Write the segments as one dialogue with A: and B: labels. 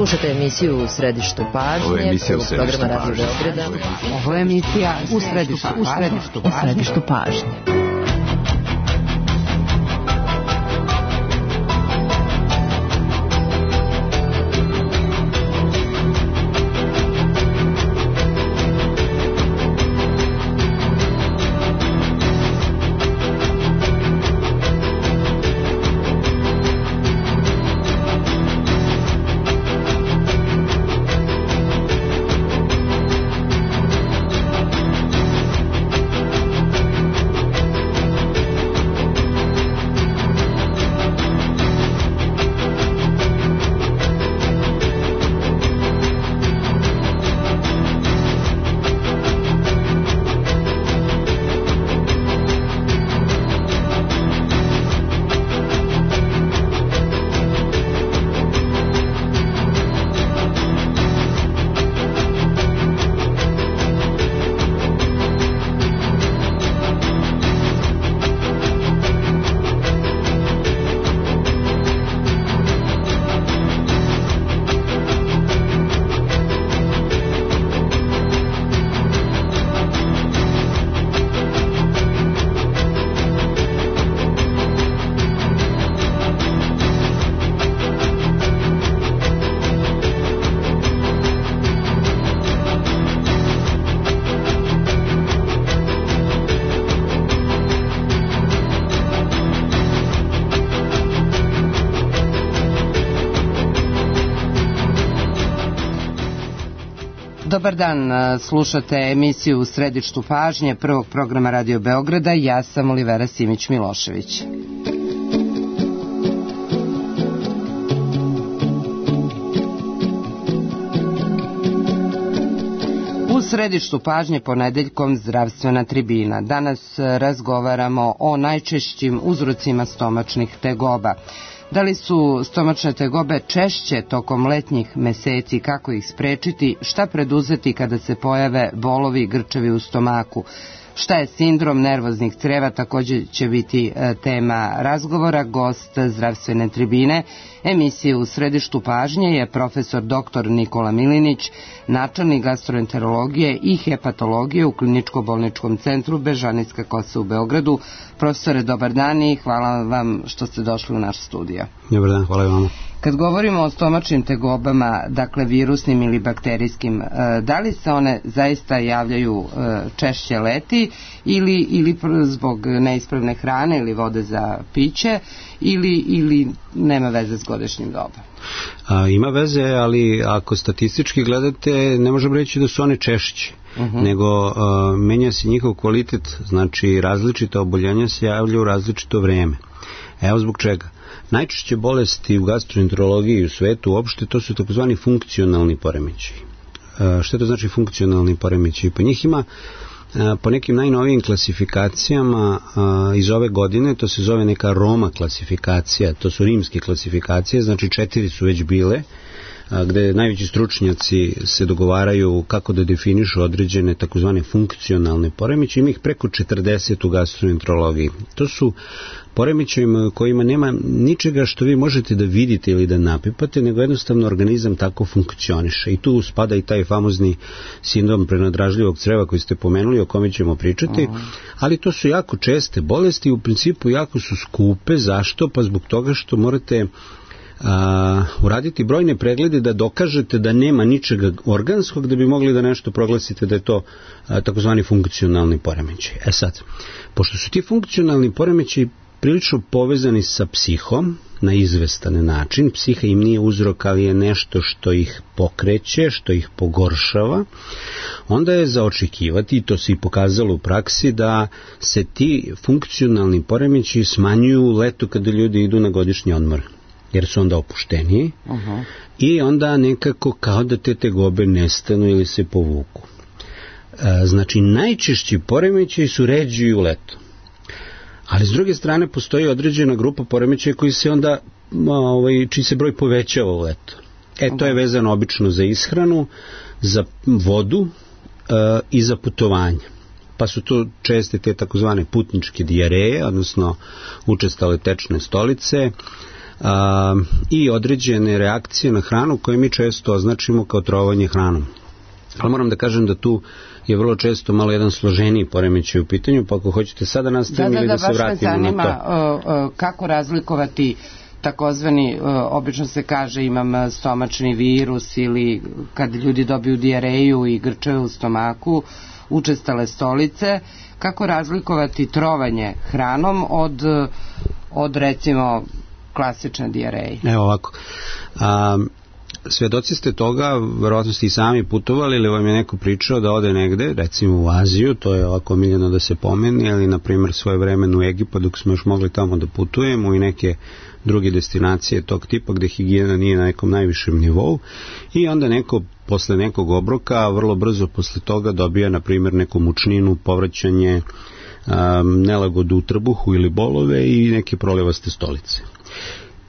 A: Slušate emisiju U središtu pažnje, programa Radio Beograda.
B: Ovo je emisija U središtu pažnje. Dobar dan, slušate emisiju U središtu pažnje prvog programa Radio Beograda. Ja sam Olivera Simić-Milošević. U središtu pažnje ponedeljkom zdravstvena tribina. Danas razgovaramo o najčešćim uzrocima stomačnih tegoba. Da li su stomačne tegobe češće tokom letnjih meseci, kako ih sprečiti, šta preduzeti kada se pojave bolovi i grčevi u stomaku? Šta je sindrom nervoznih creva, također će biti tema razgovora. Gost zdravstvene tribine emisije U središtu pažnje je profesor dr. Nikola Milinić, načelnik gastroenterologije i hepatologije u Kliničko-bolničkom centru Bežanijska Kosa u Beogradu. Profesore, dobar dan i hvala vam što ste došli u naš studio.
C: Dobar dan, hvala vam.
A: Kad govorimo o stomačnim tegobama, dakle virusnim ili bakterijskim, da li se one zaista javljaju češće leti ili zbog neispravne hrane ili vode za piće ili nema veze s godišnjim dobom?
C: Ima veze, ali ako statistički gledate, ne možemo reći da su one češće. Nego menja se njihov kvalitet, znači različita oboljenja se javljaju u različito vreme. Evo zbog čega. Najčešće bolesti u gastroenterologiji i u svetu uopšte to su takozvani funkcionalni poremećaji. Što to znači funkcionalni poremećaji? Pa njih ima po nekim najnovijim klasifikacijama iz ove godine, to se zove neka Roma klasifikacija, to su rimske klasifikacije, znači 4 su već bile, gde najveći stručnjaci se dogovaraju kako da definišu određene takozvane funkcionalne poremećaje. Ima ih preko 40 u gastroenterologiji. To su poremećaji kojima nema ničega što vi možete da vidite ili da napipate, nego jednostavno organizam tako funkcioniše. I tu spada i taj famozni sindrom prenadražljivog creva koji ste pomenuli, o kome ćemo pričati, ali to su jako česte bolesti i u principu jako su skupe. Zašto? Pa zbog toga što morate uraditi brojne preglede da dokažete da nema ničega organskog da bi mogli da nešto proglasite da je to takozvani funkcionalni poremećaj. Sad, pošto su ti funkcionalni poremećaji prilično povezani sa psihom na izvestan način, psiha im nije uzrok, ali je nešto što ih pokreće, što ih pogoršava, onda je za očekivati, i to se i pokazalo u praksi, da se ti funkcionalni poremećaji smanjuju u letu kada ljudi idu na godišnji odmor, jer su onda opušteniji i onda nekako kao da te tegobe nestanu ili se povuku. Znači, najčešći poremećaji su ređi u letu. Ali s druge strane postoji određena grupa poremećaja koji se onda, čiji se broj povećava u letu. To je vezano obično za ishranu, za vodu i za putovanje. Pa su to česte te takozvane putničke dijareje, odnosno učestale tečne stolice, i određene reakcije na hranu koje mi često označimo kao trovanje hranom. Ali moram da kažem da tu je vrlo često malo jedan složeniji poremećaj u pitanju, pa ako hoćete sada nastavim ili da se vratimo na to.
A: Baš me zanima kako razlikovati takozvani, obično se kaže imam stomačni virus ili kad ljudi dobiju dijareju i grčeve u stomaku, učestale stolice, kako razlikovati trovanje hranom od recimo klasične dijareje?
C: Evo ovako, svedoci ste toga, verovatno ste i sami putovali ili vam je neko pričao da ode negde, recimo u Aziju, to je ovako omiljeno da se pomeni, ali na primjer svoje vremeno u Egipat dok smo još mogli tamo da putujemo i neke druge destinacije tog tipa gde higijena nije na nekom najvišem nivou i onda neko posle nekog obroka vrlo brzo posle toga dobija na primjer neku mučninu, povraćanje, nelagodu u trbuhu ili bolove i neke prolivaste stolice.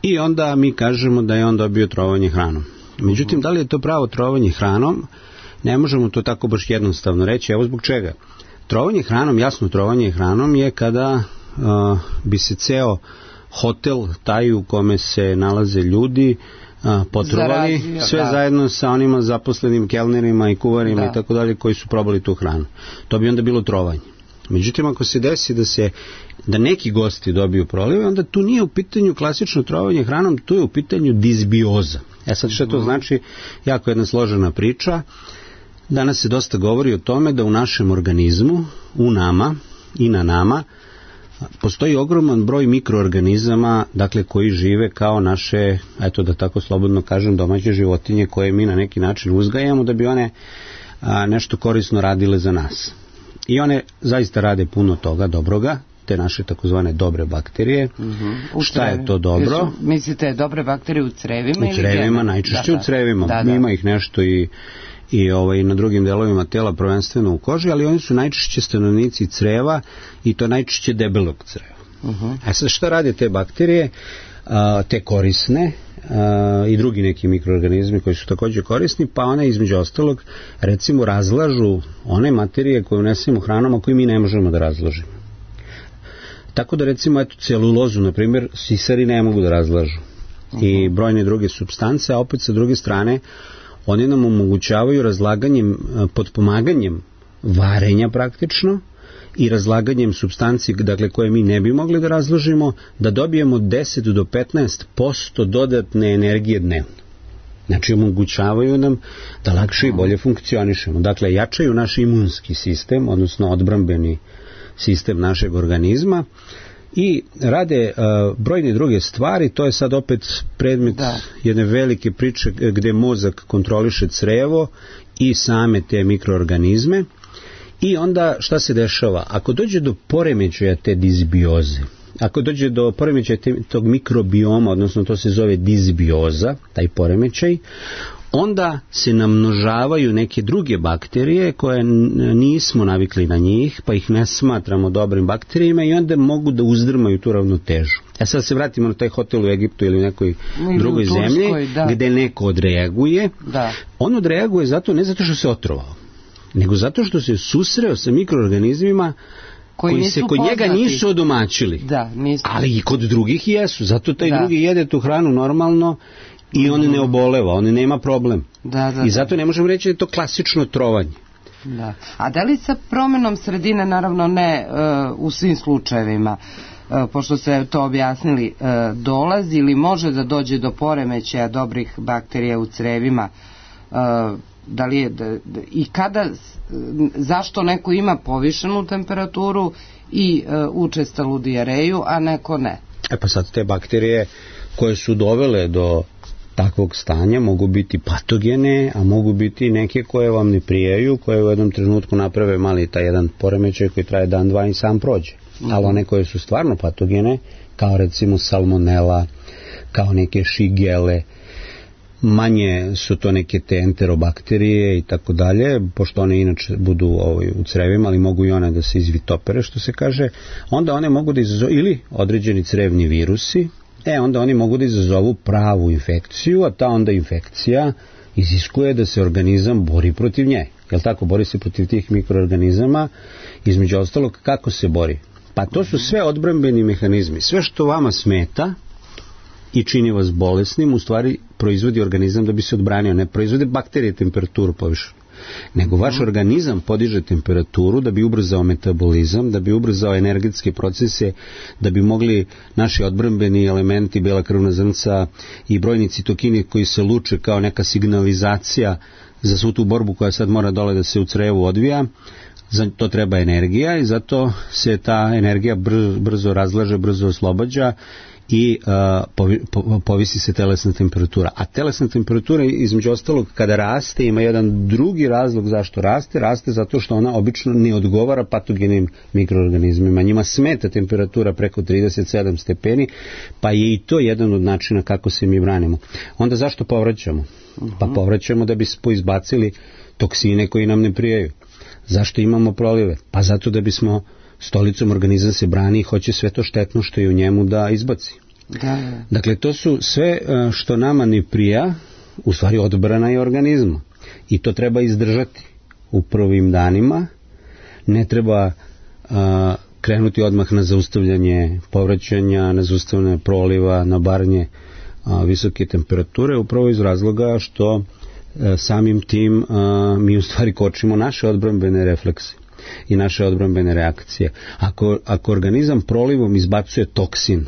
C: I onda mi kažemo da je on dobio trovanje hranom. Međutim, da li je to pravo trovanje hranom? Ne možemo to tako baš jednostavno reći. Evo zbog čega. Trovanje hranom, jasno trovanje hranom je kada bi se ceo hotel, taj u kome se nalaze ljudi, potrovali sve zajedno sa onima zaposlenim kelnerima i kuvarima i tako dalje koji su probali tu hranu. To bi onda bilo trovanje. Međutim, ako se desi da neki gosti dobiju prolive, onda tu nije u pitanju klasično trovanje hranom, tu je u pitanju disbioza. Sad što to znači? Jako jedna složena priča. Danas se dosta govori o tome da u našem organizmu, u nama i na nama, postoji ogroman broj mikroorganizama, dakle koji žive kao naše, eto da tako slobodno kažem, domaće životinje koje mi na neki način uzgajamo da bi one nešto korisno radile za nas. I one zaista rade puno toga dobroga, te naše takozvane dobre bakterije. Šta je to dobro?
A: Mislite dobre bakterije u crevima?
C: U crevima, najčešće u crevima. Ima ih nešto i na drugim delovima tela, prvenstveno u koži, ali oni su najčešće stanovnici creva i to najčešće debelog creva. Sad šta rade te bakterije, te korisne i drugi neki mikroorganizmi koji su također korisni, pa one između ostalog recimo razlažu one materije koje unesemo hranom, a koje mi ne možemo da razložimo. Tako da recimo celulozu, na primjer, sisari ne mogu da razlažu i brojne druge supstance, a opet sa druge strane oni nam omogućavaju razlaganjem, potpomaganjem varenja praktično i razlaganjem supstanci, dakle, koje mi ne bi mogli da razložimo, da dobijemo 10 do 15% dodatne energije dnevno. Znači, omogućavaju nam da lakše i bolje funkcionišemo. Dakle, jačaju naš imunski sistem, odnosno odbrambeni sistem našeg organizma i rade brojne druge stvari. To je sad opet predmet jedne velike priče gde mozak kontroliše crevo i same te mikroorganizme. I onda šta se dešava? Ako dođe do poremećaja te disbioze, ako dođe do poremećaja tog mikrobioma, odnosno to se zove disbioza, taj poremećaj, onda se namnožavaju neke druge bakterije koje nismo navikli na njih, pa ih ne smatramo dobrim bakterijama i onda mogu da uzdrmaju tu ravnotežu. Sad se vratimo na taj hotel u Egiptu ili u nekoj drugoj zemlji gde neko odreaguje. On odreaguje ne zato što se otrovao, nego zato što se susreo sa mikroorganizmima koji se kod njega nisu odomaćili. Ali i kod drugih jesu. Zato taj drugi jede tu hranu normalno i on ne oboleva, on nema problem. I zato ne možemo reći da je to klasično trovanje.
A: A da li sa promenom sredine, naravno ne u svim slučajevima, pošto ste to objasnili, dolazi ili može da dođe do poremećaja dobrih bakterija u crevima, da li je, i kada, zašto neko ima povišenu temperaturu i učestalu dijareju, a neko ne?
C: Pa sad te bakterije koje su dovele do takvog stanja mogu biti patogene, a mogu biti neke koje vam ne prijaju, koje u jednom trenutku naprave mali taj jedan poremećaj koji traje dan, dva i sam prođe. Ali one koje su stvarno patogene, kao recimo salmonela, kao neke šigele, manje su to neke te enterobakterije i tako dalje, pošto one inače budu u crevima, ali mogu i one da se izvitopere, što se kaže, onda one mogu da izazovu, ili određeni crevni virusi, onda oni mogu da izazovu pravu infekciju, a ta onda infekcija iziskuje da se organizam bori protiv nje. Jel tako? Bori se protiv tih mikroorganizama, između ostalog kako se bori? Pa to su sve odbrambeni mehanizmi. Sve što vama smeta i čini vas bolesnim, u stvari proizvodi organizam da bi se odbranio. Ne proizvode bakterije temperaturu povišenu, nego vaš organizam podiže temperaturu da bi ubrzao metabolizam, da bi ubrzao energetske procese, da bi mogli naši odbrambeni elementi, bela krvna zrnca i brojni citokini koji se luče kao neka signalizacija za svu tu borbu koja sad mora dole da se u crevu odvija. Za to treba energija i zato se ta energija brzo razlaže, brzo oslobađa i povisi se telesna temperatura. A telesna temperatura, između ostalog, kada raste, ima jedan drugi razlog zašto raste. Raste zato što ona obično ne odgovara patogenim mikroorganizmima. Njima smeta temperatura preko 37 stepeni, pa je i to jedan od načina kako se mi branimo. Onda zašto povraćamo? Pa povraćamo da bi izbacili toksine koji nam ne prijaju. Zašto imamo prolive? Pa zato da bismo stolicom organizam se brani i hoće sve to štetno što je u njemu da izbaci.
A: Da.
C: Dakle, to su sve što nama ne prija, u stvari odbrana je organizma. I to treba izdržati u prvim danima. Ne treba krenuti odmah na zaustavljanje povraćanja, na zaustavljanje proliva, na baranje visoke temperature, upravo iz razloga što samim tim mi u stvari kočimo naše odbrambene reflekse i naše odbrambene reakcije. Ako organizam prolivom izbacuje toksin,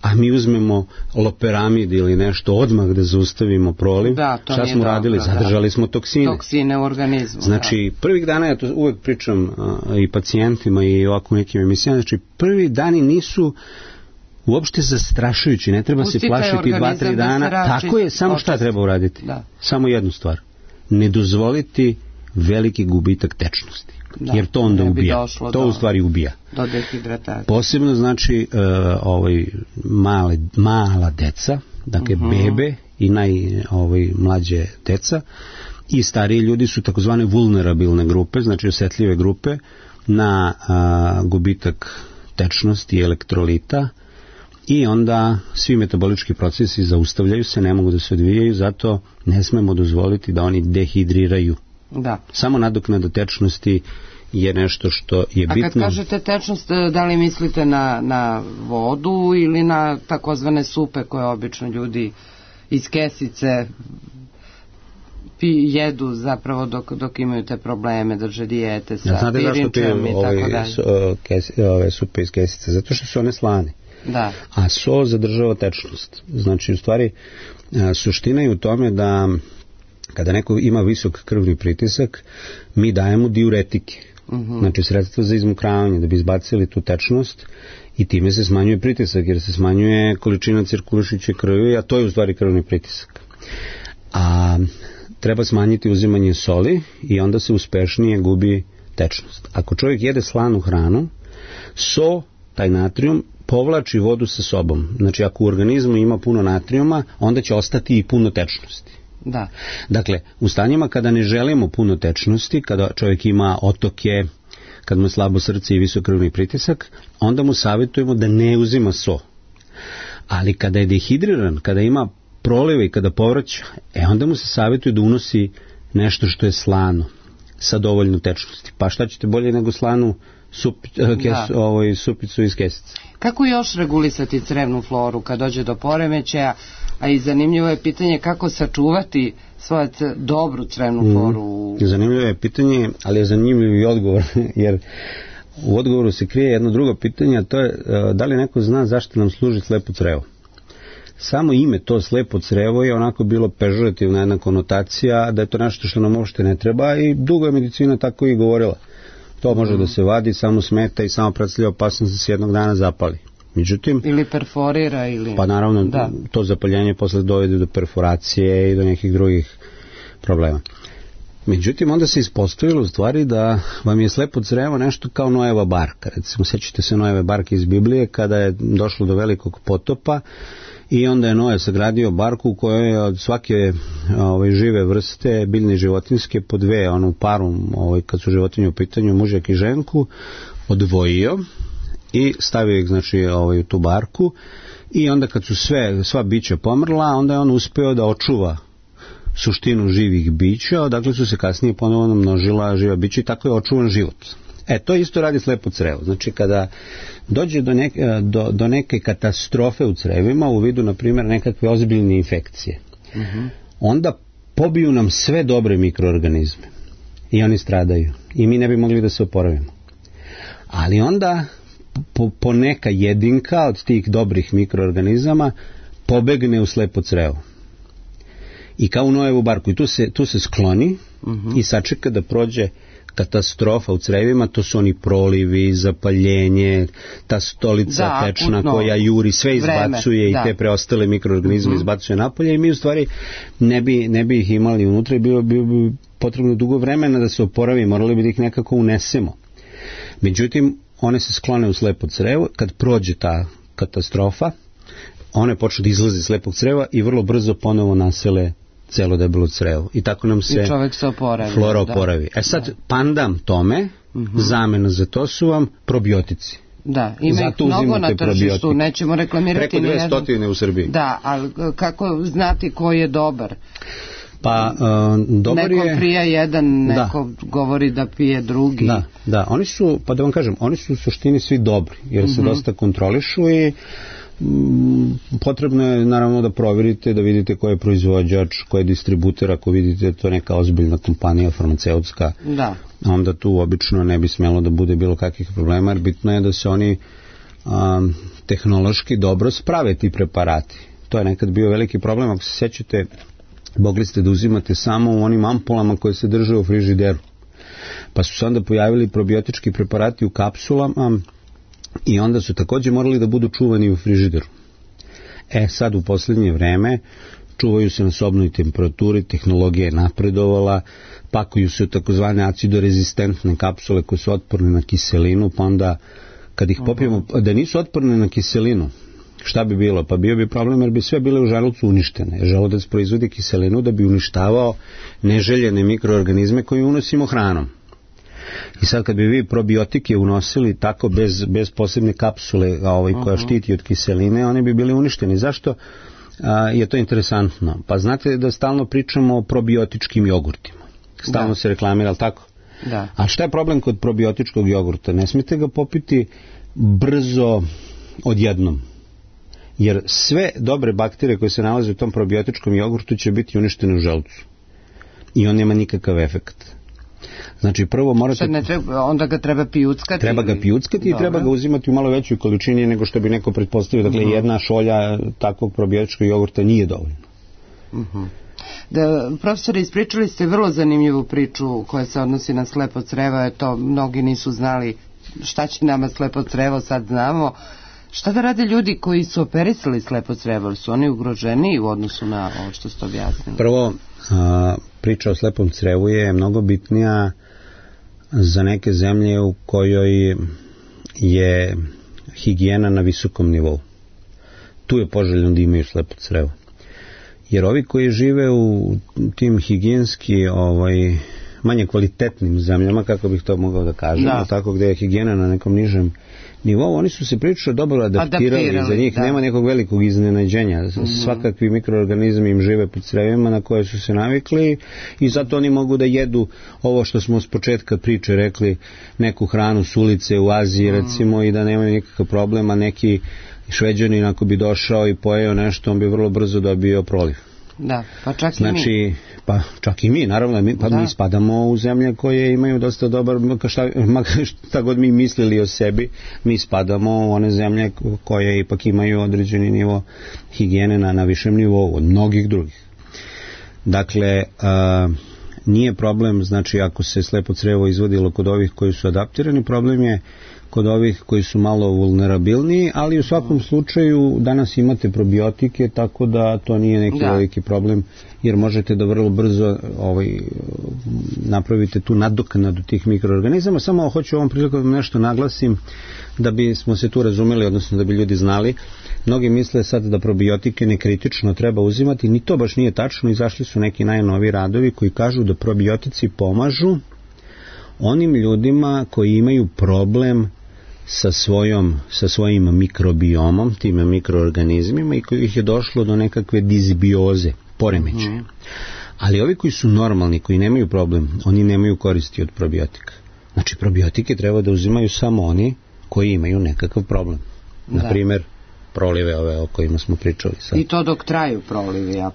C: a mi uzmemo loperamid ili nešto odmah da zaustavimo proliv, šta smo radili? Zadržali smo toksine.
A: Toksine u organizmu.
C: Znači, prvih dana, ja to uvek pričam i pacijentima i ovako nekim emisijama, znači prvi dani nisu uopšte zastrašujući, ne treba se plašiti 2-3 dana. Tako je, samo šta treba uraditi? Samo jednu stvar. Ne dozvoliti veliki gubitak tečnosti. Jer to onda ubija. To u stvari ubija.
A: Do dehidratacije.
C: Posebno znači mala deca, dakle bebe i najmlađe deca i stariji ljudi su takozvane vulnerabilne grupe, znači osetljive grupe na gubitak tečnosti i elektrolita. I onda svi metabolički procesi zaustavljaju se, ne mogu da se odvijaju, zato ne smemo dozvoliti da oni dehidriraju.
A: Da.
C: Samo nadoknada tečnosti je nešto što je bitno.
A: A kad kažete tečnost, da li mislite na vodu ili na takozvane supe koje obično ljudi iz kesice jedu zapravo dok imaju te probleme, drže dijete sa pirinčem i tako dalje?
C: Ove supe iz kesice, zato što su one slane.
A: Da.
C: A so zadržava tečnost. Znači, u stvari, suština je u tome da kada neko ima visok krvni pritisak, mi dajemo diuretike. Znači, sredstva za izmokravanje, da bi izbacili tu tečnost i time se smanjuje pritisak, jer se smanjuje količina cirkulišuće krvi, a to je u stvari krvni pritisak. A treba smanjiti uzimanje soli i onda se uspešnije gubi tečnost. Ako čovjek jede slanu hranu, taj natrijum, povlači vodu sa sobom. Znači, ako u organizmu ima puno natrijuma, onda će ostati i puno tečnosti.
A: Da.
C: Dakle, u stanjima kada ne želimo puno tečnosti, kada čovjek ima otoke, kad mu je slabo srce i visok krvni pritisak, onda mu savjetujemo da ne uzima so. Ali kada je dehidriran, kada ima prolive i kada povraća, onda mu se savjetuje da unosi nešto što je slano, sa dovoljno tečnosti. Pa šta ćete bolje nego slanu supicu iz kesice?
A: Kako još regulisati crevnu floru kad dođe do poremećaja, a i zanimljivo je pitanje kako sačuvati svoju dobru crevnu floru?
C: Zanimljivo je pitanje, ali je zanimljiv i odgovor, jer u odgovoru se krije jedno drugo pitanje, a to je da li neko zna zašto nam služi slepo crevo. Samo ime to slepo crevo je onako bilo pežorativna jedna konotacija, da je to nešto što nam uopšte ne treba i dugo je medicina tako i govorila. To može da se vadi, samo smeta i samo predstavlja opasnost da se jednog dana zapali. Međutim,
A: ili perforira ili...
C: Pa naravno, to zapaljenje posle dovede do perforacije i do nekih drugih problema. Međutim, onda se ispostavilo u stvari da vam je slepo crevo nešto kao Noeva barka. Recimo, sjećate se Noeve barke iz Biblije kada je došlo do velikog potopa i onda je Noe sagradio barku u kojoj je od svake žive vrste, biljne i životinjske, po dve, u paru, kad su životinje u pitanju, mužjak i ženku, odvojio i stavio ih, znači, u tu barku i onda kad su sva bića pomrla, onda je on uspeo da očuva suštinu živih bića, odakle su se kasnije ponovno množila živa bića i tako je očuvan život. To isto radi slepo crevo. Znači, kada dođe do neke katastrofe u crevima, u vidu, na primjer, nekakve ozbiljne infekcije, onda pobiju nam sve dobre mikroorganizme i oni stradaju i mi ne bi mogli da se oporavimo. Ali onda po neka jedinka od tih dobrih mikroorganizama pobegne u slepo crevo. I kao u Nojevu barku. I tu se skloni i sačeka da prođe katastrofa u crevima, to su oni prolivi, zapaljenje, ta stolica tečna koja juri, sve izbacuje i te preostale mikroorganizme izbacuje napolje i mi u stvari ne bi ih imali unutra i bio bi potrebno dugo vremena da se oporavi, morali bi da ih nekako unesemo. Međutim, one se sklone u slepo crevo, kad prođe ta katastrofa, one počnu da izlaze iz slepog creva i vrlo brzo ponovo nasele celo debelo crevo. I tako nam se flora oporavi. Sad, pandam tome, zamena za to su vam probiotici.
A: Da, ima ih mnogo na tržištu, nećemo reklamirati.
C: Preko 200 u Srbiji.
A: Da, ali kako znati koji je dobar?
C: Pa, dobar je...
A: Neko prija jedan, neko govori da pije drugi.
C: Da, oni su, pa da vam kažem, oni su u suštini svi dobri, jer se dosta kontrolišu i potrebno je naravno da provjerite, da vidite ko je proizvođač, ko je distributer, ako vidite to neka ozbiljna kompanija farmaceutska, onda tu obično ne bi smjelo da bude bilo kakvih problema, jer bitno je da se oni tehnološki dobro sprave ti preparati. To je nekad bio veliki problem, ako se sjećate, mogli ste da uzimate samo u onim ampulama koje se drže u frižideru. Pa su se onda pojavili probiotički preparati u kapsulama i onda su također morali da budu čuvani u frižideru. Sad u posljednje vreme čuvaju se na sobnoj temperaturi, tehnologija je napredovala, pakuju se u takozvane acidorezistentne kapsule koje su otporne na kiselinu, pa onda kad ih popijemo, da nisu otporne na kiselinu, šta bi bilo? Pa bio bi problem jer bi sve bile u želucu uništene. Želudac proizvodi kiselinu da bi uništavao neželjene mikroorganizme koje unosimo hranom. I sad kad bi vi probiotike unosili tako bez posebne kapsule koja štiti od kiseline, one bi bili uništeni. Zašto je to interesantno? Pa znate da stalno pričamo o probiotičkim jogurtima. Stalno se reklamira, ali tako?
A: Da.
C: A šta je problem kod probiotičkog jogurta? Ne smijete ga popiti brzo odjednom. Jer sve dobre bakterije koje se nalaze u tom probiotičkom jogurtu će biti uništene u želucu. I on nema nikakav efekt. Znači prvo morate...
A: Onda ga treba pijuckati?
C: Treba ga pijuckati i treba ga uzimati u malo većoj količini nego što bi neko pretpostavio. Dakle, jedna šolja takvog probiotičkog jogurta nije dovoljno.
A: Profesore, ispričali ste vrlo zanimljivu priču koja se odnosi na slepo crevo. To mnogi nisu znali šta će nama slepo crevo, sad znamo. Šta da rade ljudi koji su operisali slepo crevo? Su oni ugroženi u odnosu na ovo što ste objasnili?
C: Prvo, priča o slepom crevu je mnogo bitnija za neke zemlje u kojoj je higijena na visokom nivou. Tu je poželjno da imaju slepo crevo. Jer ovi koji žive u tim higijenski manje kvalitetnim zemljama, kako bih to mogao da kažem, tako gde je higijena na nekom nižem nivou, oni su se prilično dobro adaptirali, za njih nema nekog velikog iznenađenja. Svakakvi mikroorganizmi im žive pod crevima na koje su se navikli i zato oni mogu da jedu ovo što smo s početka priče rekli, neku hranu s ulice u Aziji recimo i da nemaju nikakav problema. Neki Šveđanin ako bi došao i pojeo nešto, on bi vrlo brzo dobio proliv.
A: Da, pa čak i mi.
C: Pa čak i mi, naravno, mi spadamo u zemlje koje imaju dosta dobar, šta god mi mislili o sebi, mi spadamo u one zemlje koje ipak imaju određeni nivo higijene na višem nivou od mnogih drugih. Dakle, nije problem, znači ako se slepo crevo izvodilo kod ovih koji su adaptirani, problem je kod ovih koji su malo vulnerabilniji, ali u svakom slučaju danas imate probiotike, tako da to nije neki veliki problem, jer možete da vrlo brzo napravite tu nadoknadu tih mikroorganizama. Samo hoću ovom prilikom nešto naglasim da bismo se tu razumeli, odnosno da bi ljudi znali. Mnogi misle sad da probiotike nekritično treba uzimati, ni to baš nije tačno. Izašli su neki najnoviji radovi koji kažu da probiotici pomažu onim ljudima koji imaju problem sa svojim mikrobiomom, tim mikroorganizmima i kojih je došlo do nekakve disbioze, poremećaja. Ali ovi koji su normalni, koji nemaju problem, oni nemaju koristi od probiotika. Znači probiotike treba da uzimaju samo oni koji imaju nekakav problem. Naprimjer, prolive ove o kojima smo pričali sad.
A: I to dok traju prolivi, a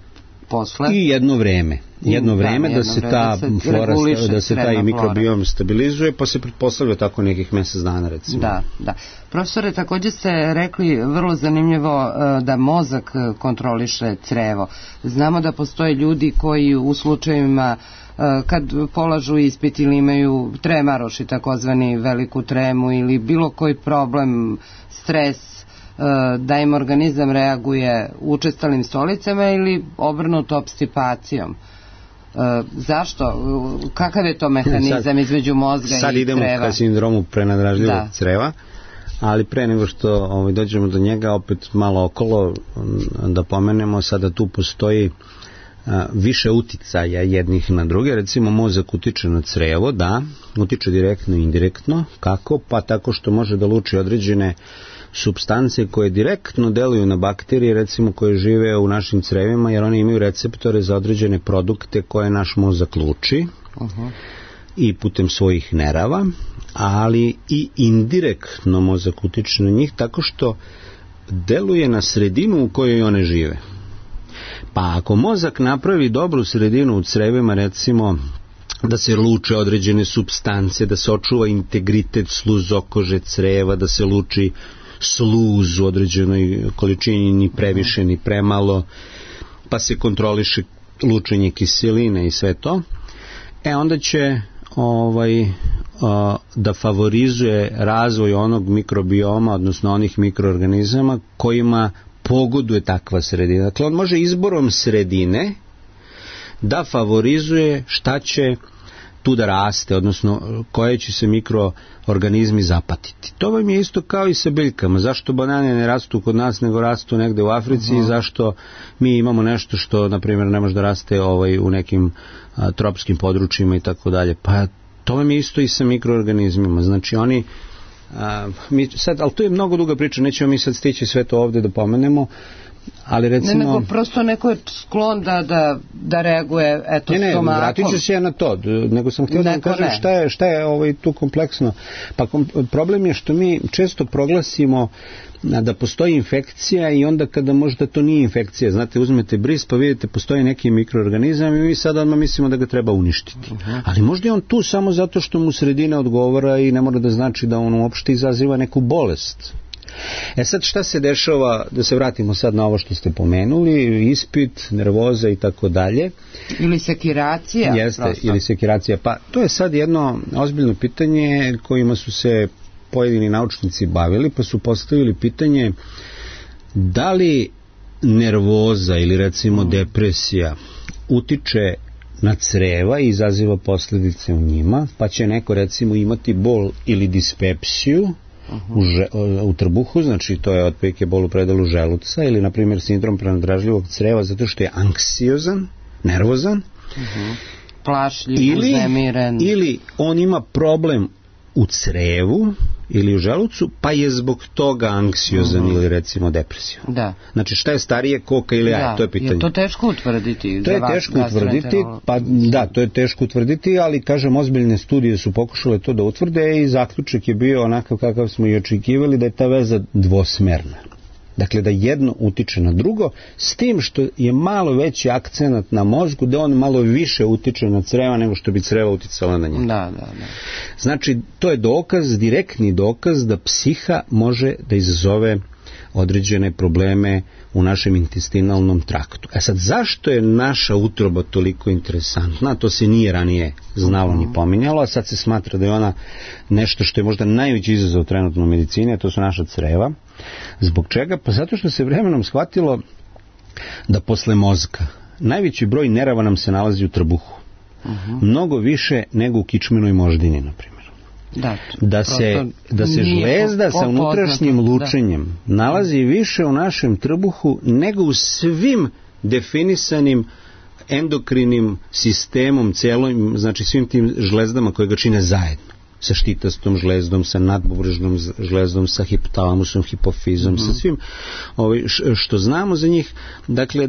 A: posle?
C: I jedno vreme da se ta flora, da se taj mikrobiom stabilizuje, pa se pretpostavlja tako nekih mjesec dana, recimo.
A: Da. Profesore, također ste rekli vrlo zanimljivo da mozak kontroliše crevo. Znamo da postoje ljudi koji u slučajevima kad polažu ispit ili imaju tremaroši, takozvani veliku tremu ili bilo koji problem, stres, da im organizam reaguje učestalim stolicama ili obrnuto opstipacijom. Zašto? Kakav je to mehanizam između mozga i creva?
C: Sad idemo ka sindromu prenadražljivog creva, ali pre nego što dođemo do njega, opet malo okolo da pomenemo, sada tu postoji više uticaja jednih na druge. Recimo mozak utiče na crevo, utiče direktno i indirektno. Kako? Pa tako što može da luči određene supstance koje direktno deluju na bakterije, recimo koje žive u našim crevima, jer oni imaju receptore za određene produkte koje naš mozak luči i putem svojih nerava, ali i indirektno mozak utiče na njih tako što deluje na sredinu u kojoj one žive. Pa ako mozak napravi dobru sredinu u crevima, recimo da se luče određene supstance, da se očuva integritet sluzokože creva, da se luči sluz u određenoj količini, ni previše ni premalo, pa se kontroliše lučenje kiseline i sve to, onda će da favorizuje razvoj onog mikrobioma, odnosno onih mikroorganizama kojima pogoduje takva sredina. Dakle, on može izborom sredine da favorizuje šta će tu da raste, odnosno koje će se mikroorganizmi zapatiti. To vam je isto kao i sa biljkama. Zašto banane ne rastu kod nas, nego rastu negde u Africi i zašto mi imamo nešto što, na primjer, ne može da raste u nekim tropskim područjima i tako dalje. Pa to vam je isto i sa mikroorganizmima. Znači oni ali to je mnogo duga priča, nećemo mi sad stići sve to ovdje da pomenemo, ali recimo...
A: Nego prosto neko je sklon da reaguje stomakom.
C: Vratit ću se ja na to, nego sam htio da vam kažem šta je tu kompleksno. Pa problem je što mi često proglasimo da postoji infekcija i onda kada možda to nije infekcija, znate, uzmete bris pa vidite postoji neki mikroorganizam i mi sad odmah mislimo da ga treba uništiti. Ali možda je on tu samo zato što mu sredina odgovara i ne mora da znači da on uopšte izaziva neku bolest. Sad šta se dešava, da se vratimo sad na ovo što ste pomenuli, ispit, nervoza i tako dalje.
A: Ili sekiracija.
C: Jeste, ili sekiracija. Pa to je sad jedno ozbiljno pitanje kojima su se pojedini naučnici bavili, pa su postavili pitanje da li nervoza ili recimo depresija utiče na creva i izaziva posljedice u njima, pa će neko recimo imati bol ili dispepsiju u trbuhu, znači to je otprilike bol u predalu želuca, ili na primjer sindrom prenadražljivog creva zato što je anksiozan, nervozan,
A: plašljiv, uznemiren,
C: ili on ima problem u crevu ili u želucu, pa je zbog toga anksiozan ili recimo depresija.
A: Da.
C: Znači šta je starije, koka ili jaje, to je pitanje.
A: Je to teško utvrditi?
C: To je teško utvrditi, to je teško utvrditi, ali kažem, ozbiljne studije su pokušale to da utvrde i zaključak je bio onakav kakav smo i očekivali, da je ta veza dvosmerna. Dakle, da jedno utiče na drugo, s tim što je malo veći akcenat na mozgu, da on malo više utiče na creva nego što bi creva uticala na njega.
A: Da.
C: Znači, to je dokaz, direktni dokaz da psiha može da izazove određene probleme u našem intestinalnom traktu. Sad, zašto je naša utroba toliko interesantna? To se nije ranije znalo ni pominjalo, a sad se smatra da je ona nešto što je možda najveći izazov trenutno u medicini, a to su naša creva. Zbog čega? Pa zato što se vremenom shvatilo da posle mozga najveći broj nerava nam se nalazi u trbuhu. Mnogo više nego u kičmenoj moždini, na primjer. Da se žlezda sa unutrašnjim lučenjem nalazi više u našem trbuhu nego u svim definisanim endokrinim sistemom celim, znači svim tim žlezdama koje ga čine zajedno. Sa štitastom žlezdom, sa nadbubrežnom žlezdom, sa hipotalamusom, hipofizom, sa svim što znamo za njih, dakle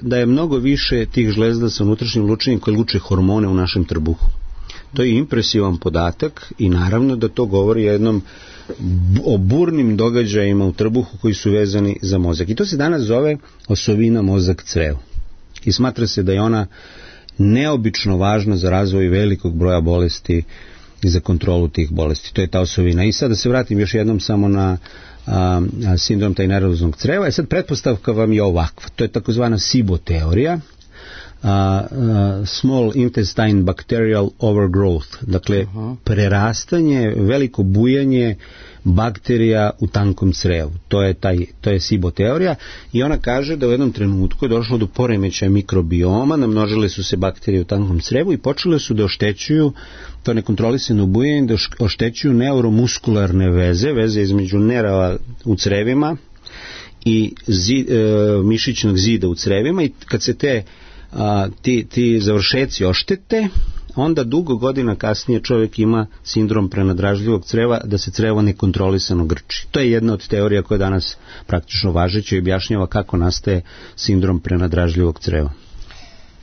C: da je mnogo više tih žlezda sa unutrašnjim lučenjem koje luče hormone u našem trbuhu. To je impresivan podatak i naravno da to govori o burnim događajima u trbuhu koji su vezani za mozak. I to se danas zove osovina mozak-crevo. I smatra se da je ona neobično važna za razvoj velikog broja bolesti i za kontrolu tih bolesti. To je ta osovina. I sad da se vratim još jednom samo na sindrom taj nervoznog creva. Sad pretpostavka vam je ovakva. To je takozvana SIBO teorija. Small intestine bacterial overgrowth, dakle prerastanje, veliko bujanje bakterija u tankom crevu. To je SIBO teorija i ona kaže da u jednom trenutku je došlo do poremećaja mikrobioma, namnožile su se bakterije u tankom crevu i počele su da oštećuju to nekontrolisano bujanje, da oštećuju neuromuskularne veze između nerava u crevima i mišićnog zida u crevima, i kad se ti završeci oštete, onda dugo godina kasnije čovjek ima sindrom prenadražljivog creva, da se crevo nekontrolisano grči. To je jedna od teorija koja je danas praktično važeća i objašnjava kako nastaje sindrom prenadražljivog creva.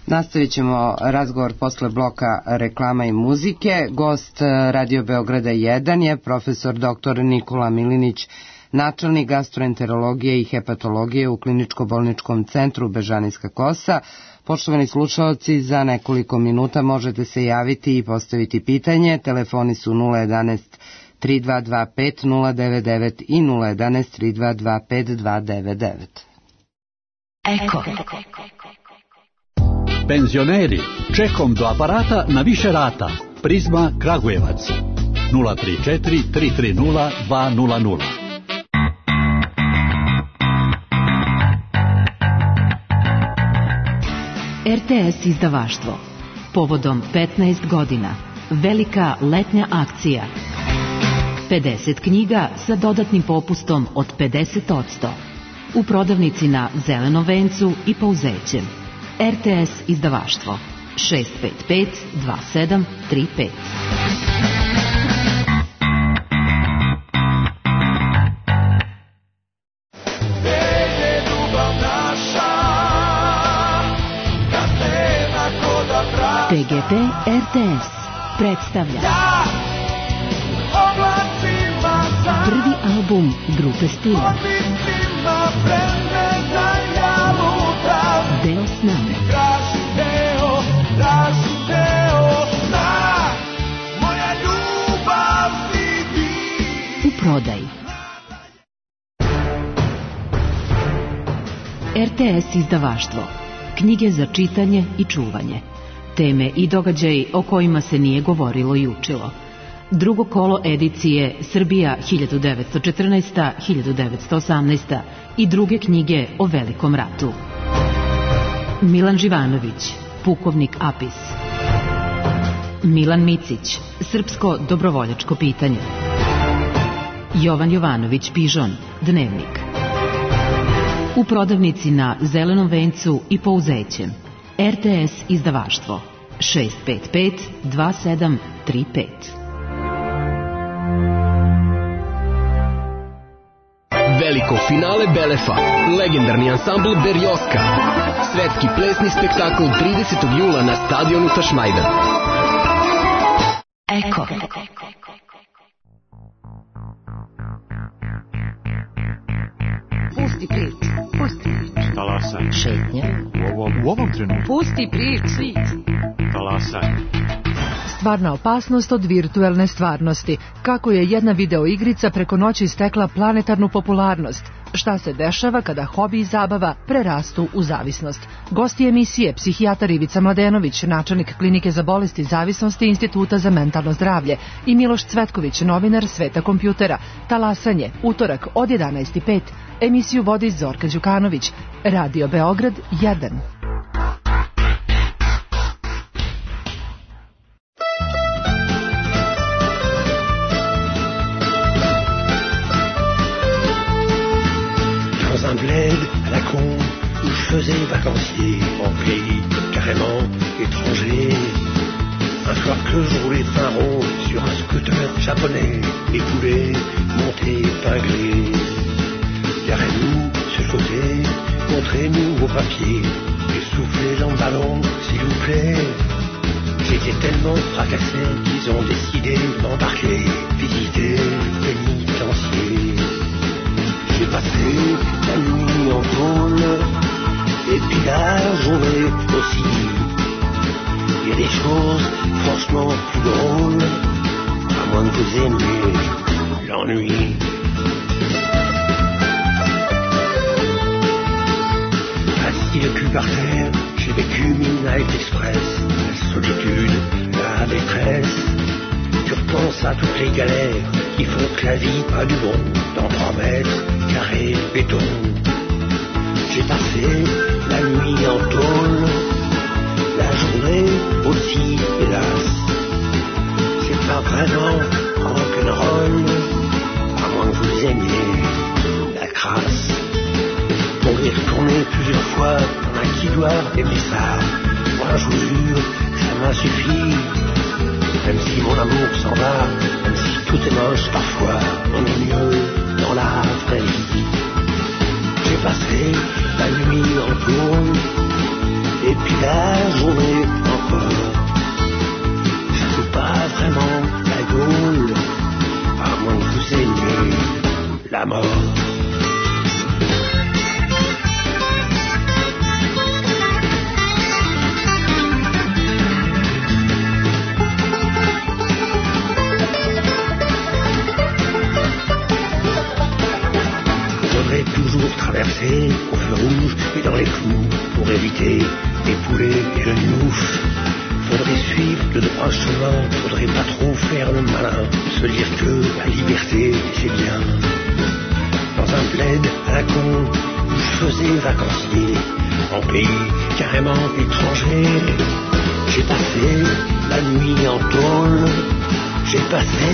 A: Nastavit ćemo razgovor posle bloka reklama i muzike. Gost Radio Beograda 1 je profesor dr. Nikola Milinić, načelnik gastroenterologije i hepatologije u Kliničko-bolničkom centru Bežanijska Kosa. Poštovani slušaoci, za nekoliko minuta možete se javiti i postaviti pitanje. Telefoni su 011 3225 099 i 011 3225 299.
D: Eko. Penzioneri, čekom do aparata na više rata. Prizma Kragujevac 034 330 200.
E: RTS izdavaštvo. Povodom 15 godina. Velika letnja akcija. 50 knjiga sa dodatnim popustom od 50%. U prodavnici na Zelenom vencu i Pauzećem. RTS izdavaštvo. 655 2735. TGP RTS predstavlja prvi album grupe Stila. Deo s nama. U prodaji. RTS izdavaštvo. Knjige za čitanje i čuvanje. Teme i događaji o kojima se nije govorilo i učilo. Drugo kolo edicije Srbija 1914-1918 i druge knjige o Velikom ratu. Milan Živanović, Pukovnik Apis. Milan Micić, Srpsko dobrovoljačko pitanje. Jovan Jovanović Pižon, Dnevnik. U prodavnici na Zelenom vencu i Pauzećem. RTS izdavaštvo 655 2735.
F: Veliko finale Belefa, legendarni ansambl Berjoska. Svetski plesni spektakl 30. jula na stadionu Tašmajdan.
E: Eko.
G: Pusti priču. Talasaj.
E: Šetnja.
G: U ovom trenutku.
E: Pusti priču.
G: Talasaj.
H: Stvarna opasnost od virtuelne stvarnosti. Kako je jedna videoigrica preko noći stekla planetarnu popularnost. Šta se dešava kada hobi i zabava prerastu u zavisnost. Gosti emisije psihijatar Ivica Mladenović, načelnik klinike za bolesti zavisnosti Instituta za mentalno zdravlje, i Miloš Cvetković, novinar Sveta kompjutera. Talasanje, utorak od 11:05. Emisiju vodi Zorka Đukanović. Radio Beograd 1.
I: Dans un bled à la con où je faisais vacancier en pays carrément étranger. Un soir que je roulais train rond sur un scooter japonais, les poulets montés épinglés. Garez-nous sur le côté, montrez-nous vos papiers, essoufflez dans le ballon, s'il vous plaît. J'étais tellement fracassé qu'ils ont décidé de m'embarquer, visiter le pénitencier. J'ai passé la nuit en tôle, et puis la journée aussi. Il y a des choses franchement plus drôles, à moins que vous aimiez l'ennui. Assis le cul par terre, j'ai vécu Midnight Express, la solitude, la détresse. Tu repenses à toutes les galères qui font que la vie a du bon, dans 3 mètres carrés béton. J'ai passé la nuit en tôle, la journée aussi, hélas. C'est pas vraiment rock'n'roll, à moins que vous aimiez la crasse. On y est retourné plusieurs fois, y'en a qui doivent aimer ça. Moi je vous jure, ça m'a suffi. Même si mon amour s'en va, même si tout est moche parfois, on est mieux dans la vraie vie. J'ai passé la nuit en tôle, et puis la journée encore. Je ne suis pas vraiment la Gaule, à moins que vous aimiez la mort. Toujours traverser au feu rouge et dans les clous pour éviter les poulets et le gnouf. Faudrait suivre de droit chemin, faudrait pas trop faire le malin, se dire que la liberté c'est bien. Dans un bled à la con où je faisais vacancier, en pays carrément étranger, j'ai passé la nuit en tôle, j'ai passé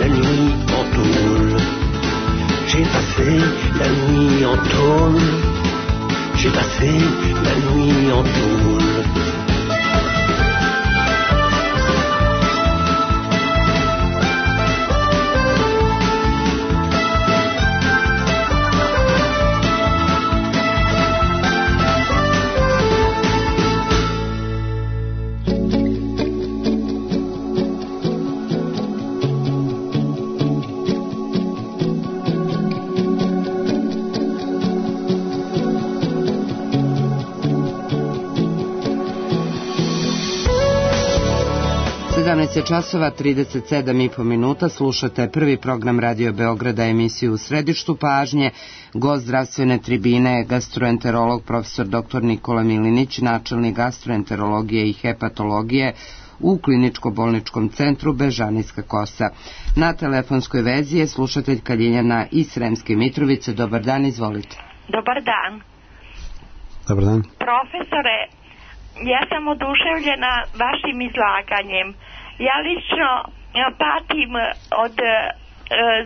I: la nuit en tôle. J'ai passé la nuit en tôle, j'ai passé la nuit en tôle.
B: Časova 37,5 minuta, slušate prvi program Radio Beograda, emisiju U središtu pažnje. Gost zdravstvene tribine, gastroenterolog profesor dr. Nikola Milinić, načelnik gastroenterologije i hepatologije u kliničko-bolničkom centru Bežanijska Kosa. Na telefonskoj vezi je slušateljka Ljiljana iz Sremske Mitrovice. Dobar dan, izvolite.
J: Dobar dan.
C: Dobar dan.
J: Profesore, ja sam oduševljena vašim izlaganjem. Ja lično patim od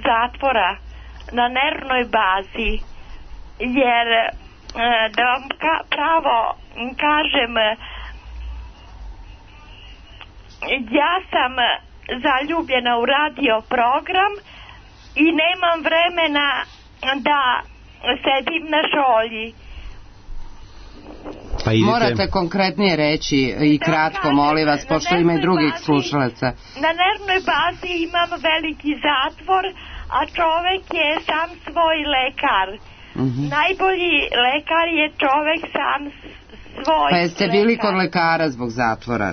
J: zatvora na nervnoj bazi, jer da vam pravo kažem, ja sam zaljubljena u radio program i nemam vremena da sedim na šolji.
B: Morate konkretnije reći i kratko, molim vas, pošto ima i drugih slušalaca.
J: Na nervnoj bazi imam veliki zatvor, a čovek je sam svoj lekar. Najbolji lekar je čovek sam svoj lekar. Pa jeste bili kod lekara zbog zatvora?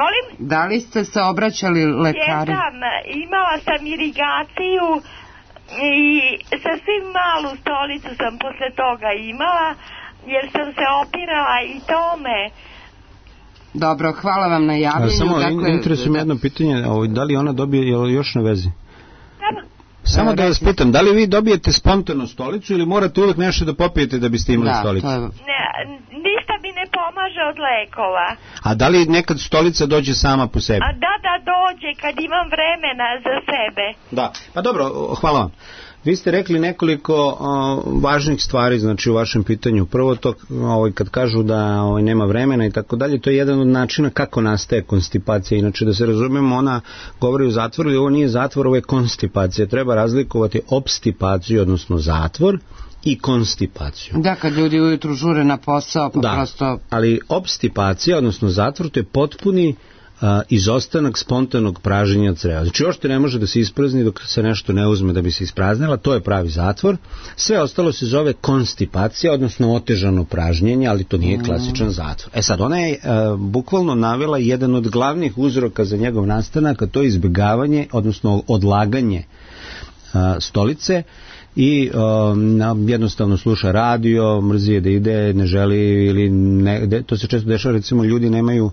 J: Molim?
B: Da li ste se obraćali lekari?
J: Jesam, imala sam irigaciju i sasvim malu stolicu sam posle toga imala, jer sam se opirala i tome.
B: Dobro, hvala vam na javljenju.
C: Samo interesuje me jedno pitanje, da li ona dobije, je li još na vezi? Samo da vas pitam, da li vi dobijete spontano stolicu ili morate uvek nešto da popijete da biste imali stolicu?
J: Ništa mi ne pomaže od lekova.
C: A da li nekad stolica dođe sama po sebi?
J: Da, dođe kad imam vremena za sebe.
C: Da, pa dobro, hvala vam. Vi ste rekli nekoliko važnih stvari, znači u vašem pitanju. Prvo to, kad kažu da nema vremena i tako dalje, to je jedan od načina kako nastaje konstipacija. Inače, da se razumemo, ona govori o zatvoru, ali ovo nije zatvor, ovo je konstipacija. Treba razlikovati obstipaciju, odnosno zatvor, i konstipaciju.
B: Da, kad ljudi ujutru žure na posao, pa
C: da,
B: prosto...
C: ali obstipacija, odnosno zatvor, to je potpuni izostanak spontanog pražnjenja creva. Znači uopšte ne može da se isprazni dok se nešto ne uzme da bi se ispraznila, to je pravi zatvor. Sve ostalo se zove konstipacija, odnosno otežano pražnjenje, ali to nije klasičan zatvor. Sad, ona je bukvalno navela jedan od glavnih uzroka za njegov nastanak, a to je izbjegavanje, odnosno odlaganje stolice i jednostavno sluša radio, mrzi je da ide, ne želi ili ne, to se često dešava, recimo ljudi nemaju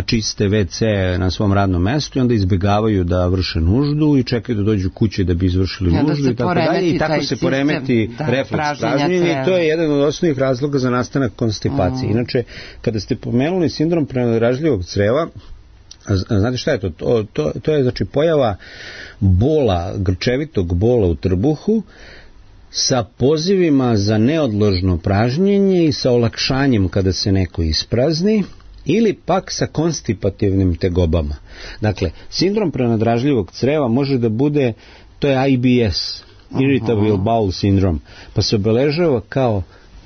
C: čiste WC na svom radnom mestu i onda izbjegavaju da vrše nuždu i čekaju da dođu kući da bi izvršili nuždu i tako dalje i tako se poremeti refleks pražnjenja i to je jedan od osnovnih razloga za nastanak konstipacije. Inače, kada ste pomenuli sindrom prenadražljivog creva, znate šta je to? To je znači pojava bola, grčevitog bola u trbuhu sa pozivima za neodložno pražnjenje i sa olakšanjem kada se neko isprazni ili pak sa konstipativnim tegobama. Dakle, sindrom prenadražljivog creva može da bude, to je IBS, Irritable Bowel Syndrome, pa se obeležava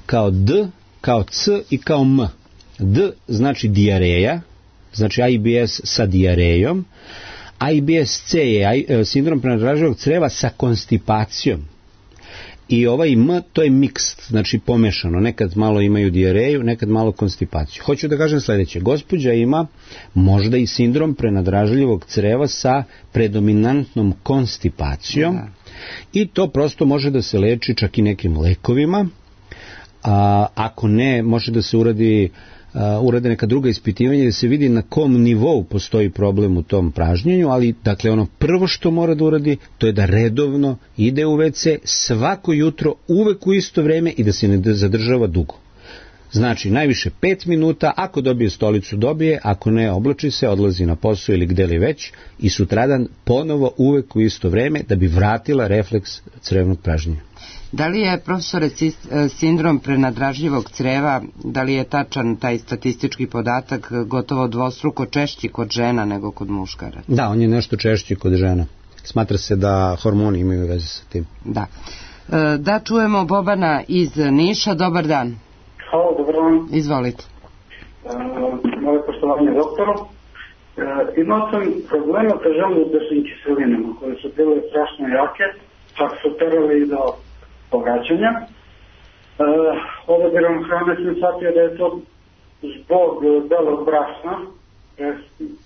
C: kao D, kao C i kao M. D znači dijareja, znači IBS sa dijarejom, IBS-C je sindrom prenadražljivog creva sa konstipacijom. I ovaj M, to je mixed, znači pomešano. Nekad malo imaju dijareju, nekad malo konstipaciju. Hoću da kažem sljedeće. Gospođa ima možda i sindrom prenadražljivog creva sa predominantnom konstipacijom i to prosto može da se leči čak i nekim lekovima. Ako ne, može da se urade neka druga ispitivanja da se vidi na kom nivou postoji problem u tom pražnjenju, ali dakle ono prvo što mora da uradi to je da redovno ide u WC svako jutro, uvek u isto vreme i da se ne zadržava dugo. Znači najviše 5 minuta, ako dobije stolicu dobije, ako ne oblači se, odlazi na posao ili gde li već i sutradan ponovo uvek u isto vreme da bi vratila refleks crevnog pražnjenja.
A: Da li je, profesore, sindrom prenadražljivog creva, da li je tačan taj statistički podatak gotovo dvostruko češći kod žena nego kod muškara?
C: Da, on je nešto češći kod žena. Smatra se da hormoni imaju veze sa tim.
A: Da. Da čujemo Bobana iz Niša. Dobar dan.
K: Hvala, dobar dan.
A: Izvolite.
K: Moje poštovanje doktoru. Imao sam problema sa želudečnim kiselinama koje su bile strašno jake, čak su terali i do pogađanja. Odabirom hrane sam shvatio da je to zbog belog brašna,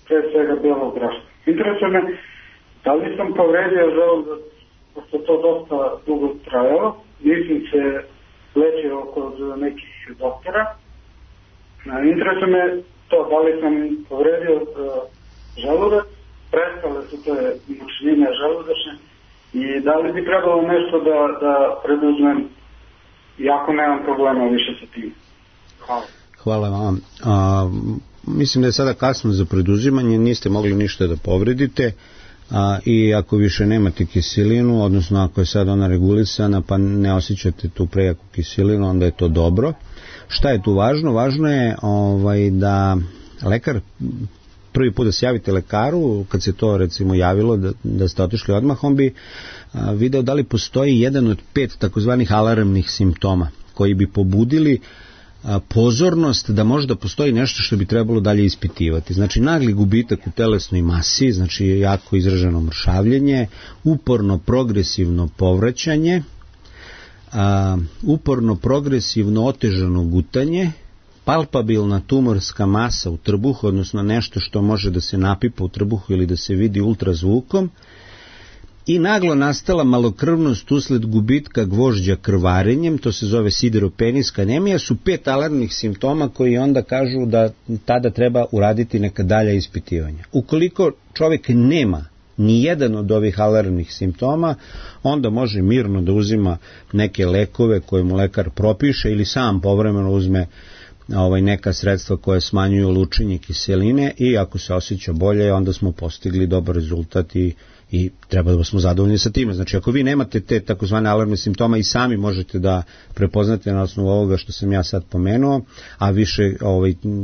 K: pre svega belog brašna. Interesuje me, da li sam povredio želudac, pošto to dosta dugo trajalo, nisam se lečio kod nekih doktora. Interesuje me to, da li sam povredio želudac, prestale su te mučnine želudečne, i da li bi trebalo nešto da preduzmem, iako nemam problema više sa tim. Hvala.
C: Hvala vam. Mislim da je sada kasno za preduzimanje, niste mogli ništa da povredite i ako više nemate kiselinu, odnosno ako je sad ona regulisana pa ne osjećate tu prejaku kiselinu, onda je to dobro. Šta je tu važno? Važno je da lekar prvi put da se javite lekaru, kad se to recimo javilo da ste otišli odmah, on bi video da li postoji jedan od 5 takozvanih alarmnih simptoma koji bi pobudili pozornost da možda postoji nešto što bi trebalo dalje ispitivati. Znači nagli gubitak u telesnoj masi, znači jako izraženo mršavljenje, uporno progresivno povraćanje, uporno progresivno otežano gutanje, palpabilna tumorska masa u trbuhu, odnosno nešto što može da se napipa u trbuhu ili da se vidi ultrazvukom, i naglo nastala malokrvnost usled gubitka gvožđa krvarenjem, to se zove sideropeniska anemija, su 5 alarmnih simptoma koji onda kažu da tada treba uraditi neka dalja ispitivanja. Ukoliko čovjek nema ni jedan od ovih alarmnih simptoma, onda može mirno da uzima neke lekove koje mu lekar propiše ili sam povremeno uzme neka sredstva koje smanjuju lučenje kiseline i ako se osjeća bolje, onda smo postigli dobar rezultat i treba da smo zadovoljni sa time. Znači, ako vi nemate te takozvane alarmne simptoma i sami možete da prepoznate na osnovu ovoga što sam ja sad pomenuo, a više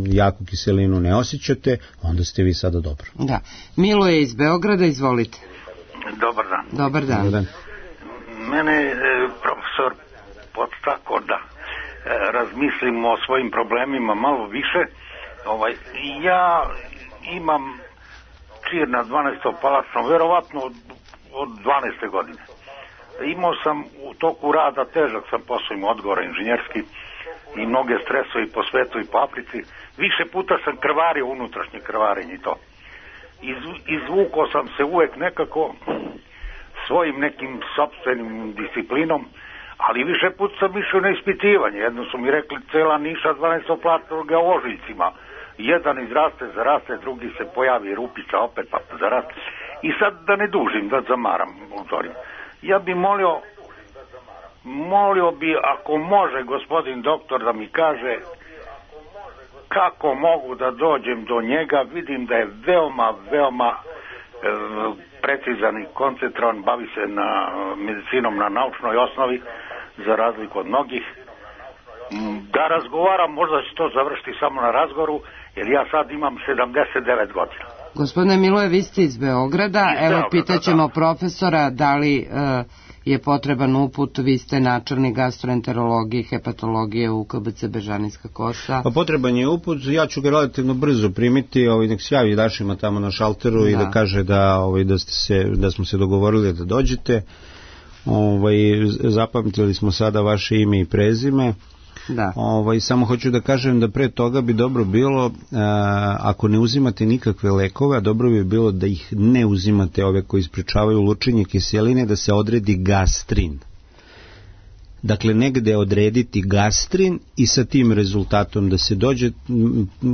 C: jaku kiselinu ne osjećate, onda ste vi sada dobro.
A: Da. Milo je iz Beograda, izvolite.
L: Dobar dan.
A: Dobar dan. Dobar dan.
L: Mene je profesor podstakao da razmislim o svojim problemima malo više. Ja imam čir na 12. palačno, verovatno od 12. godine. Imao sam u toku rada, težak sam posao imao odgovora inženjerski i mnoge stresove i po svetu i po Africi. Više puta sam krvario, unutrašnje krvarenje i to. Izvukao sam se uvek nekako svojim nekim sopstvenim disciplinom, ali više puta sam išao na ispitivanje. Jedno su mi rekli cela Niša 12. platnoga u Ožiljcima. Jedan izraste, zaraste, drugi se pojavi rupica, opet pa zaraste. I sad da ne dužim, da zamaram. Ja bi molio bi ako može gospodin doktor da mi kaže kako mogu da dođem do njega. Vidim da je veoma precizan i koncentrovan, bavi se na medicinom na naučnoj osnovi za razliku od mnogih. Da razgovaram, možda će to završiti samo na razgovoru, jer ja sad imam 79 godina.
B: Gospodine Miloje, vi ste iz Beograda, evo pitaćemo profesora da li je potreban uput, vi ste načelnik gastroenterologije i hepatologije u KBC Bežanijska Kosa.
C: Pa potreban je uput, ja ću ga relativno brzo primiti, nek se javi Dašima tamo na šalteru i da kaže da smo se dogovorili da dođete. Zapamtili smo sada vaše ime i prezime.
B: Da.
C: Samo hoću da kažem da pre toga bi dobro bilo, ako ne uzimate nikakve lekove, a dobro bi bilo da ih ne uzimate, ove koji sprečavaju lučenje kiseline, da se odredi gastrin. Dakle, negde odrediti gastrin i sa tim rezultatom da se dođe,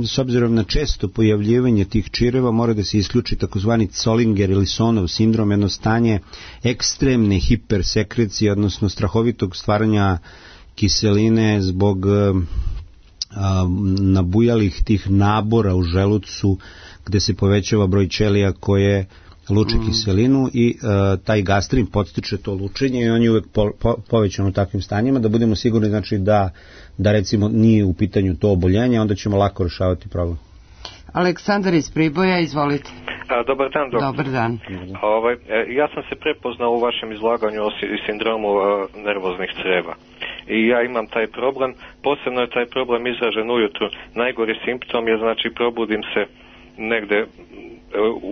C: s obzirom na često pojavljivanje tih čireva, mora da se isključi takozvani Zollinger ili Sonov sindrom, jedno stanje ekstremne hipersekrecije, odnosno strahovitog stvaranja kiseline zbog nabujalih tih nabora u želucu gde se povećava broj ćelija koje luče kiselinu i taj gastrin podstiče to lučenje i on je uvek povećan u takvim stanjima, da budemo sigurni znači da recimo nije u pitanju to oboljenje, onda ćemo lako rešavati problem.
B: Aleksandar iz Priboja, izvolite.
M: Dobar dan, doktor.
B: Dobar dan.
M: Ja sam se prepoznao u vašem izlaganju o sindromu nervoznih creva. I ja imam taj problem, posebno je taj problem izražen ujutru. Najgori simptom je, znači, probudim se negde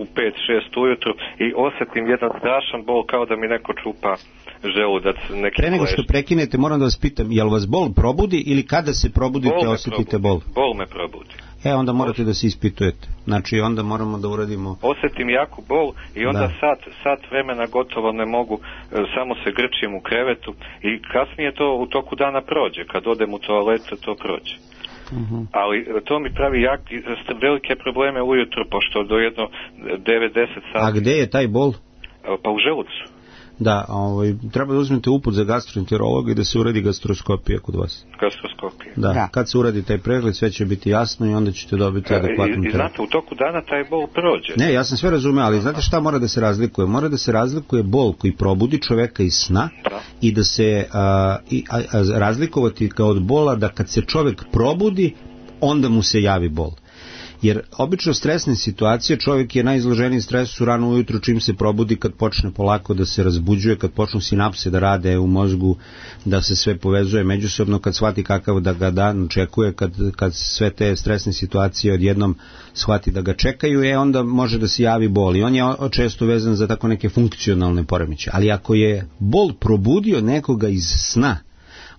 M: u 5-6 ujutru i osjetim jedan strašan bol kao da mi neko čupa želudac.
C: Pre nego što prekinete, moram da vas pitam, jel vas bol probudi ili kada se probudite osjetite bol?
M: Bol me probudi.
C: Onda morate da se ispitujete. Znači, onda moramo da uradimo...
M: Osjetim jaku bol i onda sat vremena gotovo ne mogu, samo se grčim u krevetu i kasnije to u toku dana prođe. Kad odem u toaletu, to prođe. Ali to mi pravi velike probleme ujutro, pošto do jedno 9-10 sati...
C: A gde je taj bol?
M: Pa u želucu.
C: Da, treba da uzmete uput za gastroenterologa i da se uradi gastroskopija kod vas.
M: Gastroskopija.
C: Da, kad se uradi taj pregled, sve će biti jasno i onda ćete dobiti adekvatnu terapiju.
M: I znate, u toku dana taj bol prođe.
C: Ne, ja sam sve razumeo, ali znate šta mora da se razlikuje? Mora da se razlikuje bol koji probudi čoveka iz sna i da se razlikovati kao od bola da kad se čovek probudi, onda mu se javi bol. Jer obično stresne situacije, čovjek je najizloženiji stresu rano ujutru čim se probudi, kad počne polako da se razbuđuje, kad počnu sinapse da rade u mozgu, da se sve povezuje međusobno, kad shvati kakav da ga dan očekuje, kad sve te stresne situacije odjednom shvati da ga čekaju, onda može da se javi bol. I on je često vezan za tako neke funkcionalne poremećaje. Ali ako je bol probudio nekoga iz sna,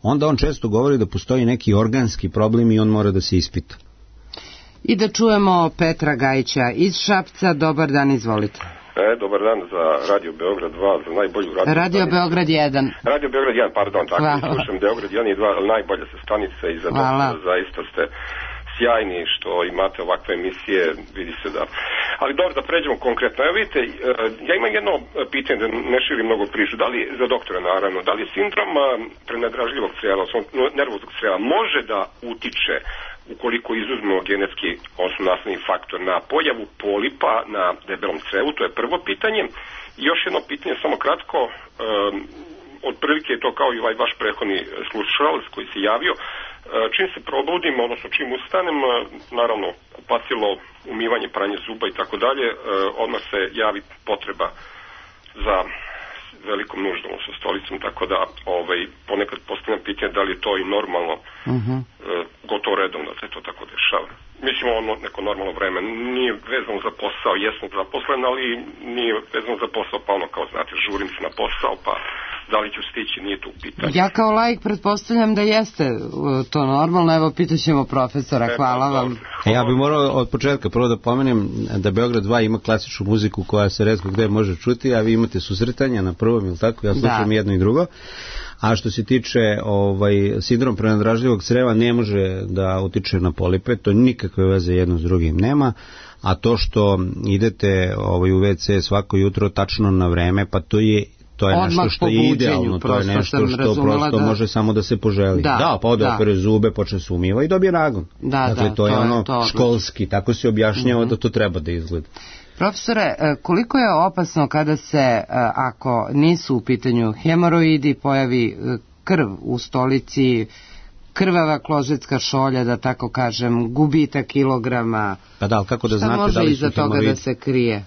C: onda on često govori da postoji neki organski problem i on mora da se ispita.
B: I da čujemo Petra Gajića iz Šapca. Dobar dan, izvolite.
N: Dobar dan za Radio Beograd 2, za najbolju
B: Radio Beograd 1.
N: Radio Beograd 1, pardon, tako slušam Beograd 1 i 2, najbolja se stanica i za zaista ste sjajni što imate ovakve emisije, vidi se da. Ali dobro, da pređemo konkretno. Evo vidite, ja imam jedno pitanje, da ne širim mnogo priču, da li, za doktora naravno, da li sindrom prenadražljivog crijela, nervoznog crijela može da utiče, ukoliko izuzmemo genetski nasledni faktor, na pojavu polipa na debelom crevu? To je prvo pitanje. I još jedno pitanje, samo kratko, otprilike je to kao i ovaj vaš prethodni slušalac koji se javio. Čim se probudim, odnosno čim ustanem, naravno kupatilo, umivanje, pranje zuba i tako dalje, odmah se javi potreba za velikom nuždom sa stolicom, tako da ponekad postavljam pitanje da li je to i normalno, gotovo redovno da se to tako dešava. Mislim, neko normalno vreme nije vezano za posao, jesmo zaposlen, ali nije vezano za posao, pa kao znate, žurim se na posao, pa da li ću stići, nije to u pitanju.
B: Ja kao laik pretpostavljam da jeste to normalno, evo pitat ćemo profesora, hvala vam.
C: Ja bih morao od početka prvo da pomenem da Beograd 2 ima klasičnu muziku koja se retko gde može čuti, a vi imate susretanja na prvom, ili tako, ja slušam jedno i drugo. A što se tiče sindrom prenadražljivog creva ne može da utiče na polipe, to nikakve veze jedno s drugim nema, a to što idete u WC svako jutro tačno na vreme, pa to je nešto što je idealno, to je nešto što prosto može samo da se poželi. Da, pa ode opere zube, počne se umiva i dobije nagon. Dakle, to je školski, tako se objašnjava da to treba da izgleda.
B: Profesore, koliko je opasno kada se, ako nisu u pitanju hemoroidi, pojavi krv u stolici, krvava kložetska šolja, da tako kažem, gubitak kilograma?
C: Pa da, ali kako da znate da li su hemoroidi? Šta može iza toga
B: da se krije?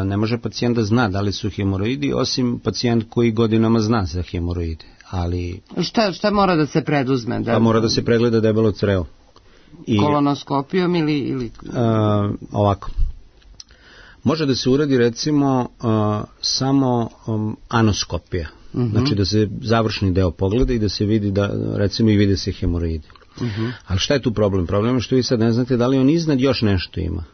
C: Ne može pacijent da zna da li su hemoroidi, osim pacijent koji godinama zna za hemoroide. Ali...
B: Šta mora da se preduzme?
C: Pa mora da se pregleda debelo crevo.
B: Kolonoskopijom ili...
C: Ovako. Može da se uradi recimo samo anoskopija. Znači da se završni deo pogleda i da se vidi da, recimo, i vide se hemoroidi. Ali šta je tu problem? Problem je što vi sad ne znate da li on iznad još nešto ima.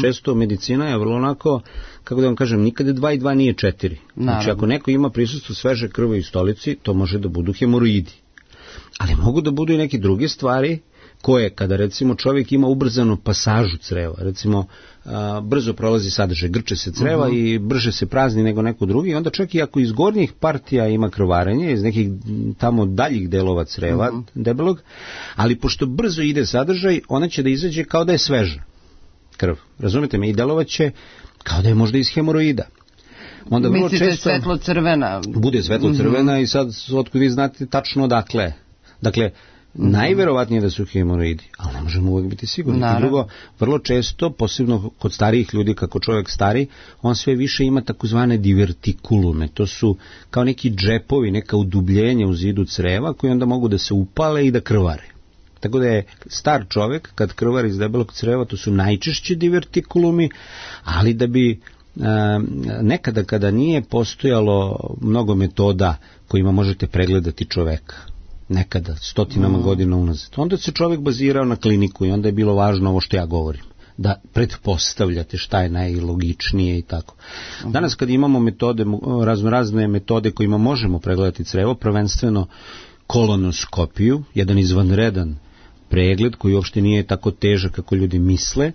C: Često medicina je vrlo onako, kako da vam kažem, nikada 2 i 2 nije 4. Znači ako neko ima prisustvo sveže krvi u stolici, to može da budu hemoroidi. Ali mogu da budu i neke druge stvari koje, kada recimo čovjek ima ubrzanu pasažu creva, recimo brzo prolazi sadržaj, grče se creva i brže se prazni nego neko drugi, onda čak i ako iz gornjih partija ima krvarenje, iz nekih tamo daljih delova creva, debelog, ali pošto brzo ide sadržaj, ona će da izađe kao da je sveža krv. Razumite me? I delovaće kao da je možda iz hemoroida. Onda
B: mislite svetlo-crvena?
C: Bude svetlo-crvena i sad otkud vi znate tačno odakle. Dakle, najverovatnije da su hemoroidi, ali ne možemo uvijek biti sigurni. I drugo, vrlo često, posebno kod starijih ljudi, kako čovjek stari, on sve više ima takozvane divertikulume. To su kao neki džepovi, neka udubljenja u zidu creva koji onda mogu da se upale i da krvare. Tako da je star čovjek, kad krvari iz debelog creva, to su najčešće divertikulumi, ali da bi nekada kada nije postojalo mnogo metoda kojima možete pregledati čoveka, nekada, stotinama godina unazad, onda se čovjek bazirao na kliniku i onda je bilo važno ovo što ja govorim, da pretpostavljate šta je najlogičnije i tako. Danas kad imamo metode, razne metode kojima možemo pregledati crevo, prvenstveno kolonoskopiju, jedan izvanredan pregled koji uopšte nije tako težak kako ljudi misle,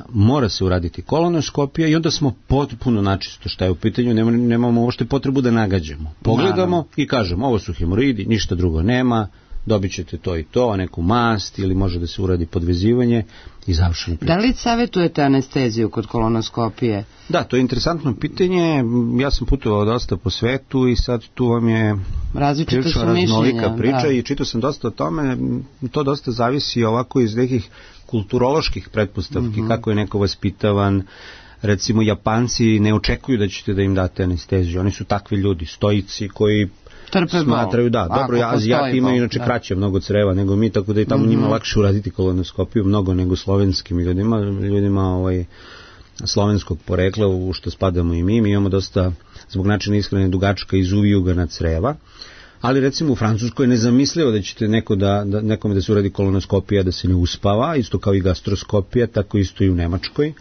C: mora se uraditi kolonoskopija i onda smo potpuno načisto šta je u pitanju, nemamo uopšte potrebu da nagađamo. Pogledamo i kažemo ovo su hemoroidi, ništa drugo nema, dobit ćete to i to, neku mast ili može da se uradi podvezivanje i završeno priča.
B: Da li savjetujete anesteziju kod kolonoskopije?
C: Da, to je interesantno pitanje. Ja sam putovao dosta po svetu i sad tu vam je prilično raznolika priča i čitao sam dosta o tome. To dosta zavisi ovako iz nekih kulturoloških pretpostavki, kako je neko vaspitavan. Recimo, Japanci ne očekuju da ćete da im date anesteziju. Oni su takvi ljudi, stoici koji smatraju, dobro, Azijati imaju inače kraće mnogo creva nego mi, tako da je tamo njima lakše uraditi kolonoskopiju mnogo nego slovenskim ljudima slovenskog porekla, u što spadamo i mi imamo dosta, zbog načina ishrane, dugačka iz uvijugana creva, ali recimo u Francuskoj je nezamislivo da ćete nekome da se uradi kolonoskopija da se ne uspava, isto kao i gastroskopija, tako isto i u Nemačkoj.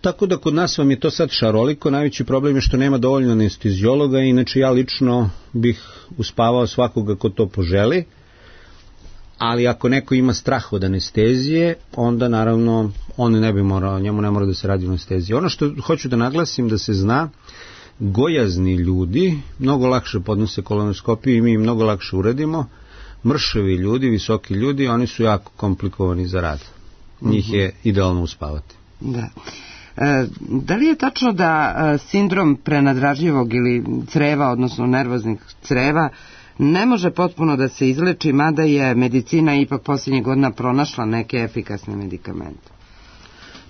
C: Tako da kod nas vam je to sad šaroliko, najveći problem je što nema dovoljno anesteziologa, inače ja lično bih uspavao svakoga ko to poželi, ali ako neko ima strah od anestezije, onda naravno on ne bi morao, njemu ne mora da se radi anestezija. Ono što hoću da naglasim da se zna, gojazni ljudi mnogo lakše podnose kolonoskopiju i mi im mnogo lakše uradimo, mršavi ljudi, visoki ljudi, oni su jako komplikovani za rad. Njih je idealno uspavati.
B: Da. Da li je tačno da sindrom prenadražljivog ili creva, odnosno nervoznih creva, ne može potpuno da se izleči, mada je medicina ipak posljednjih godina pronašla neke efikasne medikamente?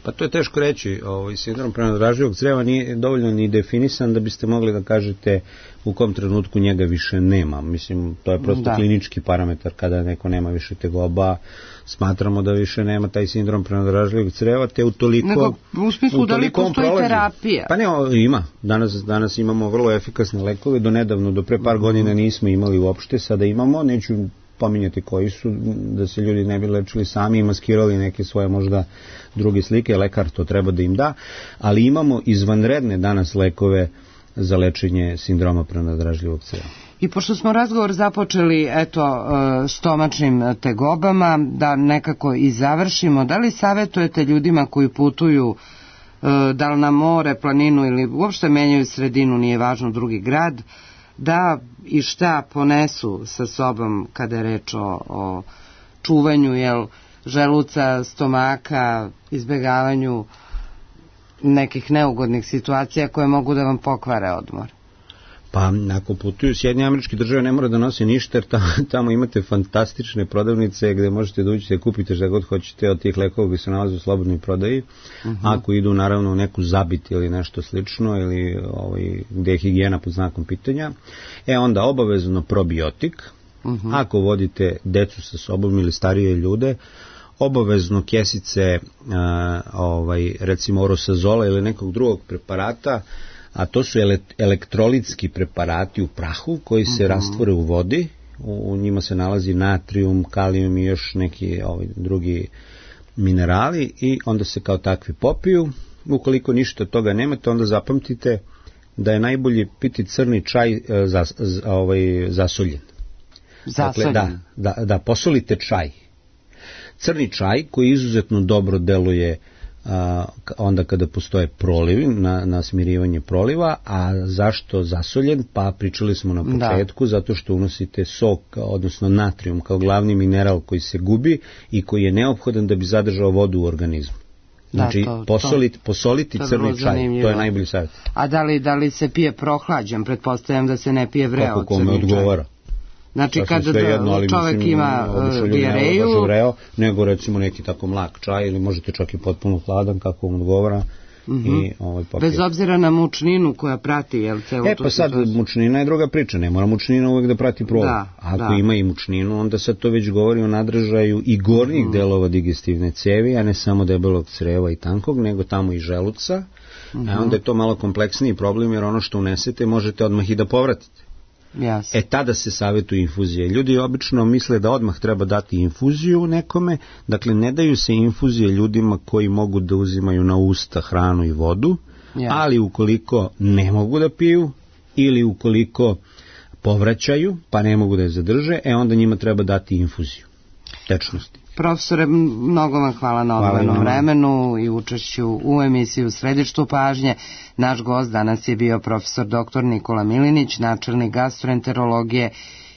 C: Pa to je teško reći. Sindrom prenadražljivog creva nije dovoljno ni definisan da biste mogli da kažete u kom trenutku njega više nema. Mislim, to je prosto klinički parametar. Kada neko nema više tegoba, smatramo da više nema taj sindrom prenadražljivog creva, te
A: nego u smislu da li postoji terapija?
C: Pa ne, ima. Danas imamo vrlo efikasne lekove. Do nedavno, do pre par godina nismo imali uopšte, sada imamo, neću pominjati koji su, da se ljudi ne bi lečili sami i maskirali neke svoje možda druge slike, lekar to treba da im da, ali imamo izvanredne danas lekove za lečenje sindroma prenadražljivog creva.
A: I pošto smo razgovor započeli stomačnim tegobama, da nekako i završimo, da li savjetujete ljudima koji putuju da li na more, planinu ili uopšte menjaju sredinu, nije važno, drugi grad, da i šta ponesu sa sobom kada je reč o čuvanju želuca, stomaka, izbegavanju nekih neugodnih situacija koje mogu da vam pokvare odmor?
C: Pa ako putuju Sjedinjene Američke Države ne mora da nosi ništa, jer tamo imate fantastične prodavnice gde možete da uđete i kupite šta god hoćete od tih lekova koji se nalaze u slobodnoj prodaji. Ako idu naravno u neku zabit ili nešto slično ili gde je higijena pod znakom pitanja, onda obavezno probiotik. Ako vodite decu sa sobom ili starije ljude, obavezno kesice recimo orosazola ili nekog drugog preparata, a to su elektrolitski preparati u prahu koji se rastvore u vodi, u njima se nalazi natrijum, kalijum i još neki drugi minerali i onda se kao takvi popiju. Ukoliko ništa od toga nemate, onda zapamtite da je najbolje piti crni čaj zasoljen.
A: Zasoljen?
C: Dakle, da posolite čaj. Crni čaj koji izuzetno dobro deluje onda kada postoje prolivi, na smirivanje proliva. A zašto zasoljen? Pa pričali smo na početku, zato što unosite sok, odnosno natrijum kao glavni mineral koji se gubi i koji je neophodan da bi zadržao vodu u organizmu. Znači, posoliti crni čaj, to je najbolji savjet.
A: A da li se pije prohlađen? Pretpostavljam da se ne pije vreo crni čaj.
C: Kako kome odgovara.
A: Znači, kada čovek ima dijareju...
C: Nego recimo neki tako mlak čaj ili možete čak i potpuno hladan, kako vam odgovara.
A: Bez obzira na mučninu koja prati, jel, celu tu
C: pa sad mučnina je druga priča, ne mora mučnina uvek da prati prolaz. Ako ima i mučninu, onda sad to već govori o nadražaju i gornjih delova digestivne cevi, a ne samo debelog creva i tankog, nego tamo i želuca. Onda je to malo kompleksniji problem, jer ono što unesete možete odmah i da povratite. Tada se savjetuje infuzije. Ljudi obično misle da odmah treba dati infuziju nekome, dakle ne daju se infuzije ljudima koji mogu da uzimaju na usta hranu i vodu, ali ukoliko ne mogu da piju ili ukoliko povraćaju pa ne mogu da je zadrže, onda njima treba dati infuziju tečnosti.
A: Profesore, mnogo vam hvala na odvojenom vremenu i učešću u emisiju Središtu pažnje. Naš gost danas je bio profesor dr. Nikola Milinić, načelnik gastroenterologije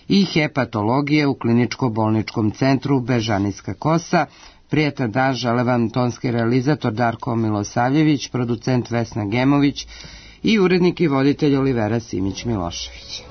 A: i hepatologije u kliničko-bolničkom centru Bežanijska Kosa. Prijatan dan žele vam tonski realizator Darko Milosavljević, producent Vesna Gemović i urednik i voditelj Olivera Simić-Milošević.